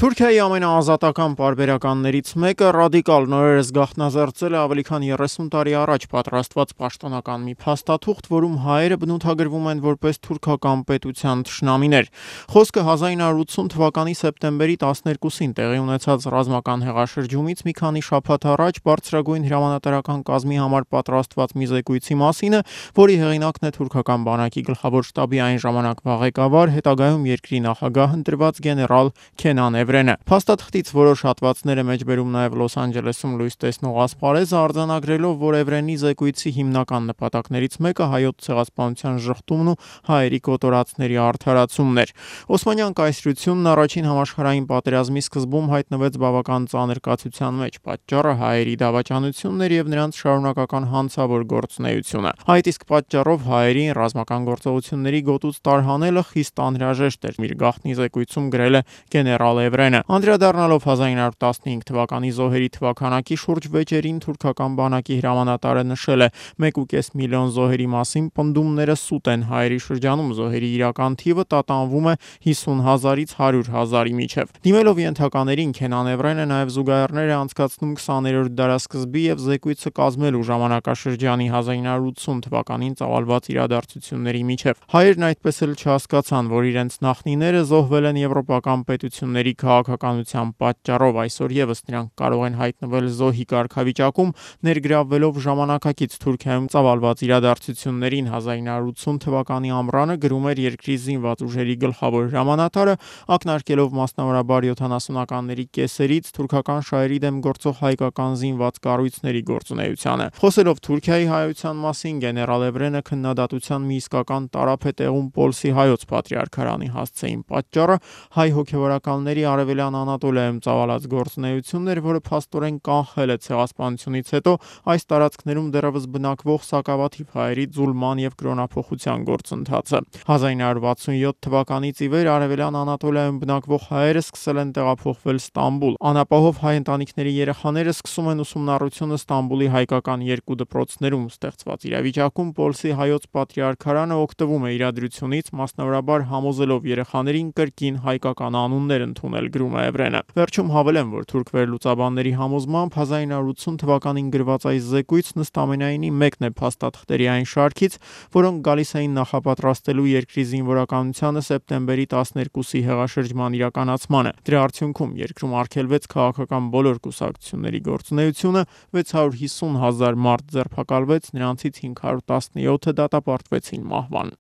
Թուրքիայի ամենաազատական պարբերականներից մեկը ռադիկալ նորերս գաղտնազերծել է ավելի քան 30 տարի առաջ պատրաստված պաշտոնական մի փաստաթուղթ, որում հայերը բնութագրվում են որպես թուրքական պետության թշնամիներ։ Խոսքը 1980 թվականի սեպտեմբերի 12-ին տեղի ունեցած ռազմական հեղաշրջումից մի քանի շաբաթ առաջ բարձրագույն հրամանատարական կազմի համար պատրաստված մի զեկույցի մասին է, որի հեղինակն է թուրքական բանակի գլխավոր շտաբի այն ժամանակվա ղեկավար, հետագայում երկրի նախագահ ընտրված գեներալ Քենան Էվրենը։ Փաստաթղթից որոշ հատվածներ է մեջբերում նաև Լոս Անջելեսում լույս տեսնող ասպարեզը, արձանագրելով, որ Էվրենի զեկույցի հիմնական նպատակներից մեկը հայոց ցեղասպանության ժխտումն ու հայերի կոտորածների արդարացումն էր։ Օսմանյան կայսրությունն առաջին համաշխարհային պատերազմի սկզբում հայտնվեց բավական ծանր կացության մեջ, պատճառը հայերի դավաճանությունն էր եւ նրանց շարունակական հանցավոր գործունեությունը։ Այդ իսկ պատճառով հայերին ռազմական գործողությունների գոտուց տարհանելը խիստ անհրաժեշտ էր, իր գաղտնի զեկույցում գրել է գեներալ Էվրենը։ Անդրադառնալով 1915 թվականի զոհերի թվաքանակի շուրջ վեճերին թուրքական բանակի հրամանատարը նշել է. 1.5 միլիոն զոհերի մասին պնդումները սուտ են, հայերի շրջանում զոհերի իրական թիվը տատանվում է 50,000-ից 100,000-ի միջև։ Դիմելով ենթականերին, Քենան Էվրենը նաև զուգահեռներ է անցկացնում 20-րդ դարասկզբի եւ զեկույցը կազմելու ժամանակաշրջանի 1980 թվականին ծավալված իրադարձությունների միջև։ Հայերն այդպես էլ չհասկացան, որ իրենց նախնիները զոհվել են եվրոպական պետությունների քաղաքականության պատճառով, այսօր եւս նրանք կարող են հայտնվել զոհի կարգավիճակում, ներգրավվելով ժամանակակից Թուրքիայում ծավալված իրադարձություններին։ 1980 թվականի ամռանը գրում էր երկրի զինված ուժերի գլխավոր հրամանատարը, ակնարկելով մասնավորաբար 70-ականների կեսերից թուրքական շահերի դեմ գործող հայկական զինված կառույցների գործունեությանը։ Խոսելով Թուրքիայի հայության մասին, գեներալ Էվրենը քննադատության մի իսկական տարափ է տեղում Պոլսի հայոց պատրիարքարանի հասցեին։ Պատճառը հայ հոգևորականների արևելյան Անատոլիայում ծավալած գործունեությունն էր, որը փաստորեն կանխել է ցեղասպանությունից հետո այս տարածքներում դեռևս բնակվող սակավաթիվ հայերի ձուլման եւ կրոնափոխության գործընթացը։ 1967 թվականից ի վեր արևելյան Անատոլիայում բնակվող հայերը սկսել են տեղափոխվել Ստամբուլ։ Անապահով հայ ընտանիքների երեխաները սկսում են ուսումնառությունը Ստամբուլի հայկական երկու դպրոցներում։ Ստեղծված իրավիճակում Պոլսի հայոց պատրիարքարանը օգտվում է իրադրությունից, մասնավորաբար համոզելով երեխաներին կրկին հայկական անուններ ընդունել, գրում է Էվրենը։ Վերջում հավելեմ, որ թուրք վերլուծաբանների համոզմամբ 1980 թվականին գրված այս զեկույցն ըստամենայնի մեկն է փաստաթղթերի այն շարքից, որոնք գալիս էին նախապատրաստելու երկրի զինվորականությանը սեպտեմբերի 12-ի հեղաշրջման իրականացմանը։ Դրա արդյունքում երկրում արգելվեց քաղաքական բոլոր կուսակցությունների գործունեությունը, 650,000 մարդ ձերբակալվեց, նրանցից 517-ը դատապարտվեցին մահվան։